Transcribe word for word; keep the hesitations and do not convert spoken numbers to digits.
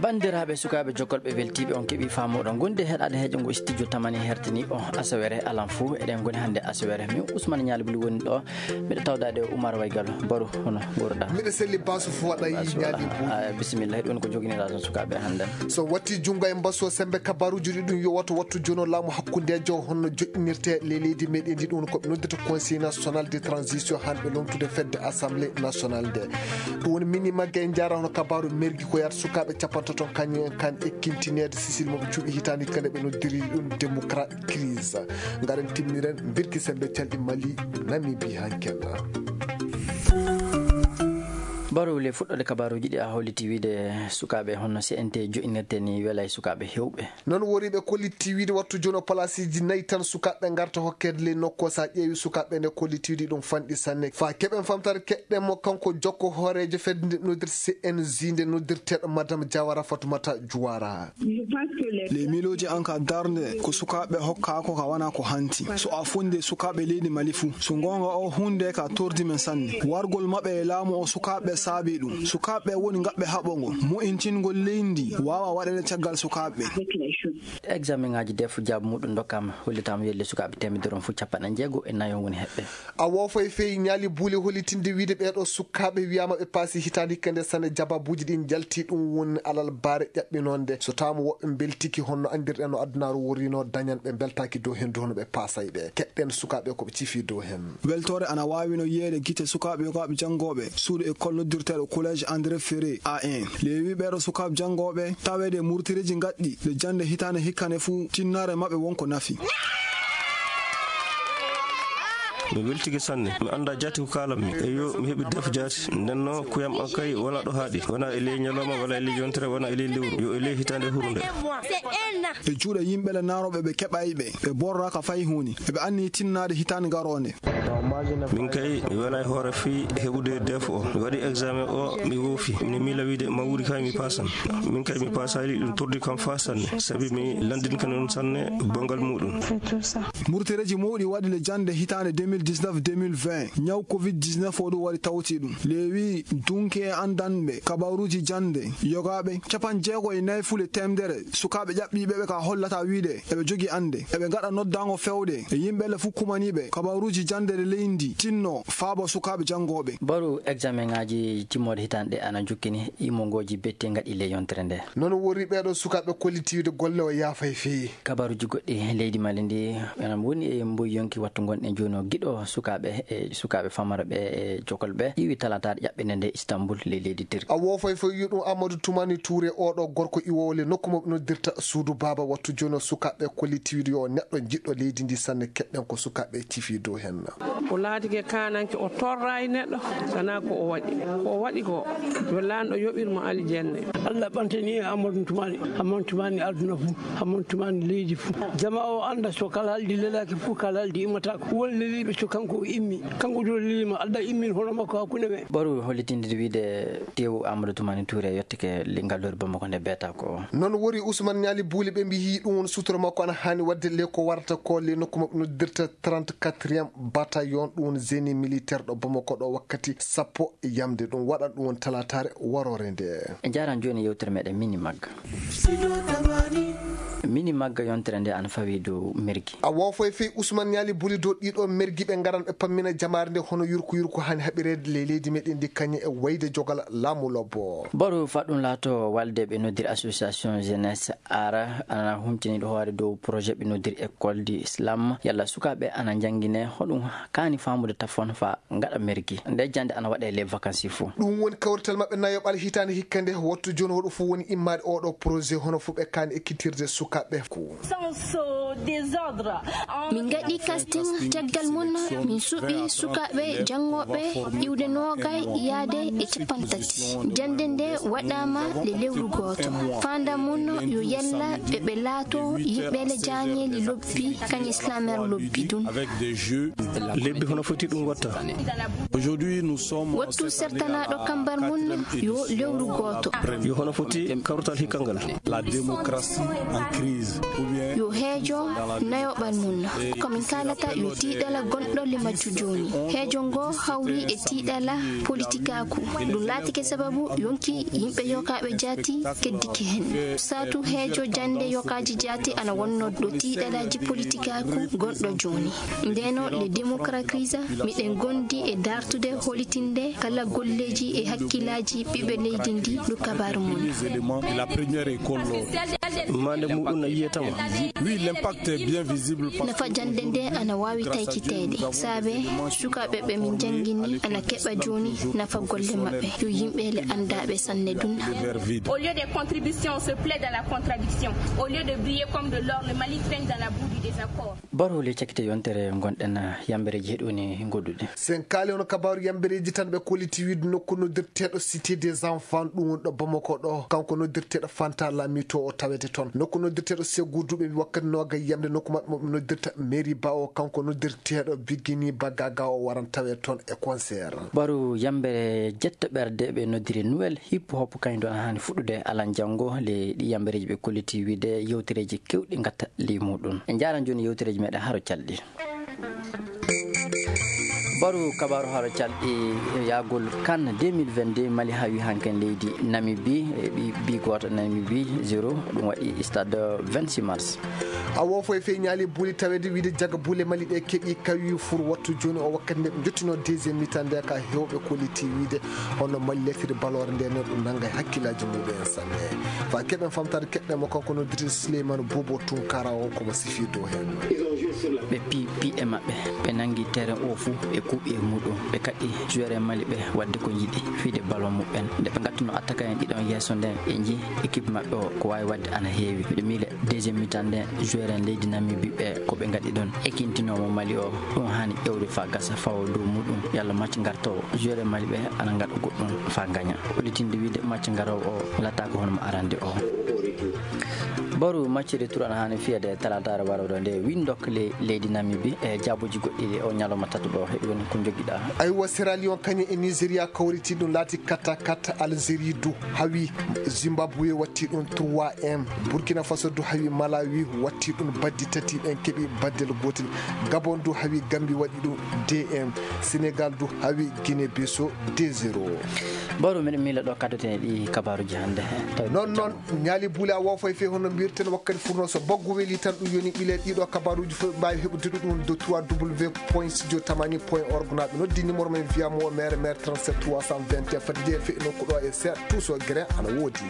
Banndiraaɓe sukaaɓe jokkolɓe weltiiɓe, on keɓii faamuɗo ngonde heɗaade heejo ngo studio tamani hertini o asawere alan fuu. Eɗen ngoni hannde asawere. Min Ousmane Ñaali Buli woni ɗo. Miɗo tawdaade Oumar Waygal. Baru, hono nguurɗaa? Miɗo selli, Basu fuu waɗa. Basu Ñaali waɗa. Buli. Ah, bisimilla, heɗi woni ko joginiɗaa toon sukaaɓe hannde. So watti junngo e mbasu o, semmbe kabaaruuji ɗi ɗum yo wattu wattu jono laamu hakkundeejo honno joɗɗinirte ley leydi meɗen ndi, ɗum ko ɓe noddirta Conseil National de Transition, hannde lomtude fedde Assemblée Nationale nde. Ɗum woni mini magga e njaara hono kabaaru mergi ko yaata sukaaɓe capantato kañum en kan ekkintineede sisil mo ɓe cuuɗi hitaande kala ɓe noddiri ɗum démocratie crise. Ngaren timmiren birki sembe calɗi Mali, Namibie hanken. Baru, le fuɗɗoode kabaaruuji ɗi a holliti wiide sukaaɓe honno C N T joɗɗinirte ni welay sukaaɓe heewɓe. Noon woriiɓe kollitti wiide wattu jooni o palaasiiji nayi tan sukaaɓe ngarta hokkeede ley nokku o. So a ƴeewi sukaaɓe nde kollitti wiide ɗum fanɗi sanne. Faa keɓen famtare keɗɗen mo kanko jokko hooreejo fedde nde noddirta C N J nde noddirteeɗo Madame Diawara Fatoumata Juwara. Les miilooji an ka darnde ko sukaaɓe hokkaako ka wana ko hanti. So a fundi sukaaɓe leydi Mali fuu. So goonga o huunde ka tordi men sanne. Wargol maɓɓe e laamu o sukaaɓe saabi ɗum. Sukaaɓe woni ngaɓɓe haɓɓo ngo. Mo'intingol leydi waawa waɗeede caggal sukaaɓe. Examen ŋaaji def jaabu muɗum ndokkaama, hollitaama yo le sukaaɓe teemedere on fof capanɗe njeego e nayo woni heɓɓe. A woofay fey Ñaali Buli hollitinde wiide ɓeeɗo sukaaɓe wiyaama ɓe paasi hitaande hikka nde sanne, jababuuji ɗin njalti, ɗum woni alal baare ƴaɓɓinonde. So taama woɓɓe mbeltiki honno anndirɗen no adunaaru worrino dañan ɓe mbeltaaki dow henndu hono ɓe paasay ɓe. Keɗɗen sukaaɓe ko ɓe cifi dow hen. Weltoore ana waawi no yiyeede gite sukaaɓe yogaaɓe janngooɓe suudu école noddirteeɗo Collège André Ferré A un. Leewi ɓeeɗo sukaaɓe janngooɓe taweede e murtireeji ngaɗɗi le jannde hitaande hikkane fuu tinnaare maɓɓe won ko nafi. Mi weltike sanne. Mi anndaa jaati ko kaalammi. Eyo, mi heɓi def jaati. Nden no kuyam an kay wona ɗo haaɗi. Wona e ley ñalawma, wona e ley yontere, wona e ley lewru. Yo e ley hitaande hurnde. E juuɗe yimɓe le naarooɓe ɓe keɓay ɓe. Ɓe borra ka fay huuni. Eɓe anni tinnaade hitaande garoonde. Min kay, mi wela e hoore fii heɓude def o. Mi waɗi examen o, mi woofi. Mi miila wiide ma wuuri kay mi paasan. Min kay mi paasaali, ɗum tordi kam faa sanne. Sabi mi lanndinka noon sanne banngal muuɗum. Murtereeji mawɗi waɗi le jannde hitaande deux mille dix-neuf deux mille vingt. Ñaw covid dix-neuf o ɗum waɗi tawti ɗum. Leewi dunki e anndanɓe kabaaruuji jannde yogaaɓe capanɗe jeego e nayi fule teemedere sukaaɓe ƴaɓɓiiɓe ɓe ka hollata wiide eɓe jogi annde. Eɓe ngaɗa noddaango fewde e yimɓe le fuu kumaniiɓe kabaaruuji jannde ɗe leydi tinno faabo sukaaɓe janngooɓe. Baru examen ŋaaji timmoode hitaande ɗe ana jukkini imongooji betti ngaɗi le yontere nde. Noon wori ɓeeɗo sukaaɓe kolliti wiide golle o yaafay feewi. Kabaaruuji goɗɗi leydi Mali ndi, enen woni e mboy yonki wattu ngonɗen jooni o giɗo sukaaɓe e sukaaɓe famara ɓe e jokol ɓe ƴiwi talataare ƴaɓɓinde nde Istanbul ley leydi Turki. A woofay fof yo ɗum Amadou Toumani Touré, oɗo gorko iwoowo le nokku mo ɓe noddirta suudu baaba wattu jooni o sukaaɓe kolliti wiide yo neɗɗo jiɗɗo leydi ndi sanne keɗɗen ko sukaaɓe cifi dow hen. O laatike kaananke, o torra e neɗɗo, sana ko o waɗi. Ko o waɗi ko, yo laanɗo yoɓir mo aljanna. Allah ɓantani e Amadou Toumani, Amadou Toumani aduna fof, Amadou Toumani leydi fof. Jama o annda so kala haldi lelaaki fof, kala haldi immata ko. Won leliiɓe so kanko o immi, kanko ɗo leliima, Allah immin hono makko hakkunde men. Ɓoru hollitinde wiide tewu Amadou Toumani Touré yettike li-, ngalluure Bamako nde beeta ko. Noon wori Ousmane Nialy Bouli ɓe mbiyi ɗum won sutura makko ana haani waɗde le ko warata ko le nokku maɓɓe noddirta trente-quatrième bataillon, ɗum woni génie militaire ɗo Bamako ɗo wakkati sappo yamde ɗum waɗan ɗum woni talataare waroore nde. En jaaran jooni yewtere meɗen Mini Magga. Mini Magga yontere nde ana fawi dow mergi. A woofay fey Ousmane Nialy Bouli dow ɗiɗo mergi ɓe ngaran ɓe pammina jamaare nde hono yurko yurko hani haɓireede ley leydi meɗen ndi kañe e wayde jogal laamu lobbo. Baru faɗɗum laato walde ɓe noddiri association jeunesse ara ana huntiniɗo hoore dow projet ɓe noddiri école du islam. Yalla sukaaɓe ana njangine hoɗum kaani faamude tafon fa ngaɗa mergi. Nde jannde ana waɗe les vacances fof. Ɗum woni kawrital maɓɓe nayoɓal hitaande hikka nde wattu jooni hoɗo fof woni immaade oɗo projet hono fof ɓe kaani ekkitirde sukaaɓe ko. Min ngaɗi casting caggal mum, min suɓi sukaaɓe janngooɓe iwde noogay yaade e capanɗe tati. Jannde nde waɗaama le lewru gooto. Faandaare mum yo yalla ɓe, ɓe laato yimɓe le jaañeeli lobbi, kañe islamer lobbi ɗum. Lebbi hono foti ɗum watta? Wattu sertanaaɗo kambar mum yo lewru gooto. Yo hono foti kawrital hikka ngal? Yo heejo Nayoɓal mum, ko min kaalata yo tiiɗala gonɗo le majju jooni. Heejo ngo hawri e tiiɗala politikaaku. Ɗum laatike sababu yonki yimɓe yokaaɓe jaati keddike heen. Saatu heejo jannde yokaaji jaati ana wonno ɗo tiiɗalaaji politikaaku gonɗo jooni. Ndeno le démocratie, miɗen gondi e dartude holitinde kala golleeji e hakkillaaji ɓiɓɓe leydi ndi. Ɗum kabaaru mum. Mande muɗum no yiyetama. Oui, l'impact est bien visible. Nafa jannde nde ana waawi taykiteede. Saabe sukaaɓe ɓe min njanngini ana keɓa jooni nafa golle maɓɓe. Yo yimɓe le anndaaɓe sanne dun. Au lieu des contributions, on se plaît dans la contradiction. Au lieu de briller comme de l'or, le Mali traîne dans la boue du désaccord. Baro le cakite yontere gonɗen yambereji heɗoni goɗɗuɗe. Sen kaali hono kabaaru yambereji tan ɓe kolliti wiide nokku noddirteeɗo Cité des Enfants ɗum woni ɗo Bamako ɗo, kanko noddirteeɗo Fanta Lamito o tawete toon. Nokku noddirteeɗo Ségou Dou ɓe mbi wakkati noogay yamde nokku maɓɓe mo ɓe noddirta Mairie Ba o, kanko noddirteeɗo Bigini Bagaga o waran tawe toon e concert. Baro yambere jetto ɓerde ɓe noddiri Nouvelle Hip Hop kañum ɗon haani fuɗɗude alan janngo. Le ɗi yambereji ɓe kolliti wiide yewtereji kewɗi gatta ley muɗum. En jaaran jooni yewtereji meɗen haro calɗi. Baru kabaru haro calɗi yaagol CAN deux mille vingt-deux, Mali hawi hanken leydi Namibie, e ɓi, bi gooto Namibie zéro, ɗum waɗi stade vingt-six mars. Awo foy fey ñaali buuli tawede wiide jaga buule Mali ɗe keɓi kawi fur wattu jooni o wakkati nde ɓe jottino deuxième mi-temps nde ka hewɓe kolliti wiide hono Mali lettiri baloore nde noon ɗum nanga e hakkillaaji muɓe en sanne. Fa keɓen famtade keɓɗen mo kanko noddirte Souleymane Bobo Tunkara o komo sifi dow heen. Ɓe pi piɗe maɓɓe, ɓe nangi terrain o fuu, ɓe kuuɓi e muɗum, ɓe kaɗɗi joueur en Mali ɓe waɗde ko yiɗi fiyde ballon muɓɓen. Nde ɓe ngattuno attaquant en ɗiɗon yeeso nden, ɓe njii équipe maɓɓe o ko waawi waɗde ana heewi. Miɗo miile deuxième mi-temps nden, joueur en leydi Namibie ɓe ko ɓe ngaɗi ɗon ekintinomo Mali o, ɗum haani ƴewde fa gasa fawo dow muɗum, yalla match ngartowo joueur en Mali ɓe ana ngaɗa goɗɗum fa gaña. Hollitinde wiide match ngarowo o lataako hono mo arande o. Baru match retour ana haani fiyede talaataare warooɗo nde, Windhoek le leydi Namibie e jaabuji goɗɗi o ñalawma tataɓo. Heɗi woni ko njogiɗa. Aywa, Sierra Leone kañum e Nigeria kawriti ɗum laati quatre à quatre. Algérie du hawi Zimbabwe watti ɗum trois un. Burkina Faso du hawi Malawi watti ɗum baddi tati, ɓen keɓi baddel gotel. Gabon du hawi Gambie waɗi ɗum deux un. Sénégal du hawi Guinée Bissau deux zéro. Baru miɗo miila ɗo kaddoten e ɗi kabaruji hannde. Tawi non non ñaali buule a wofay fe hono mbirten wakkati furno so baggu weli tan ɗum yoni ɓile ɗiɗo kabaruji fof ɓe mbawi heɓude ɗum ɗo trois w point studio tamani point org. Naɓe noddi numéro men via mo mere mere trente-sept trois cent vingt et un fadde fe nokku ɗo e seeɗa tout so grain ana woodi.